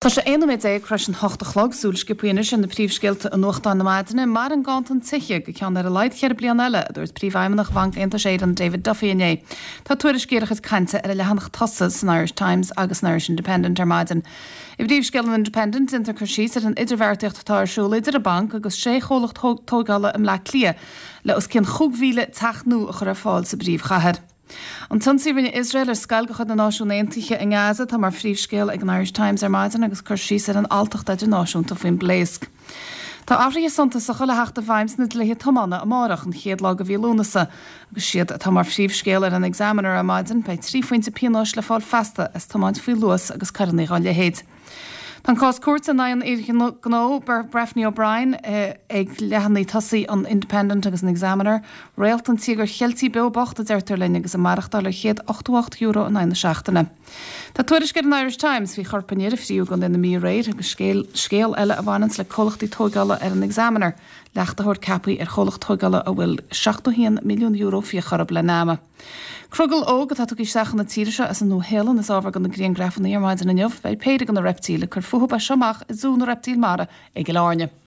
Tá sé 11 nóiméad tar éis an hocht a chlog. Súil sciobtha anois ar na príomhscéalta i nuachtáin na maidine. Maireann ganntan tithe go ceann ar a laghad cheithre bliana eile, a dúirt Príomhfheidhmeannach Bhanc Aontais Éireann, David Duffy inné. Tá tuairiscí ar a chuid cainte ar an leathanach tosaigh san Irish Times agus san Irish Independent ar maidin. I bpríomhscéal an Independent, déantar cur síos ar an idirbheartaíocht atá ar siúl idir an banc agus sé chomhlacht tógála i mBleá Cliath le os cionn 5,000 teach nua a chur ar fáil sa bpríomhchathair. An t-ionsaí a rinne Iosrael ar scoil de chuid na Náisiún Aontaithe i nGaza atá mar phríomhscéal ag an Irish Times ar maidin agus cur síos ar an alltacht idirnáisiúnta faoin bpléasc. Tá athruithe suntasacha le theacht i bhfeidhm sna dlíthe tiomána amárach, an chéad lá de mhí Lúnasa, agus siad atá mar phríomhscéal ar an Examiner ar maidin, beidh 3 phointe pionóis le fáil feasta as tiomáint faoi luas agus coireanna dá leithéid. Tá an cás cúirte in aghaidh an fhir gnó Breffni O'Brien ag leathanaigh tosaigh an Independent agus an Examiner. Réalt an Tíogair Cheiltigh beo bocht, a deirtear linn, agus ag maireachtáil ar €188 in aghaidh na seachtaine. Tá tuairisc ar an Irish Times faoi chorp an fhir a fríodh i gContae na Mí aréir agus scéal scéal eile a bhaineanns le comhlachtaí tóigeála ar an Examiner, leachtaitheoir ceaptha ar chomhlacht tóigeála a bhfuil €71 milliún fiach orthu le nama. Crogall óg atá tugtha isteach chun na tíre seo as an Nua-Shéalainn is ábhar do na griangrafanna ar maidin inniu. Beidh péire de na reiptíl ag cur fúthu as seo amach i Zú na Reiptíl Mara i gCill Airne.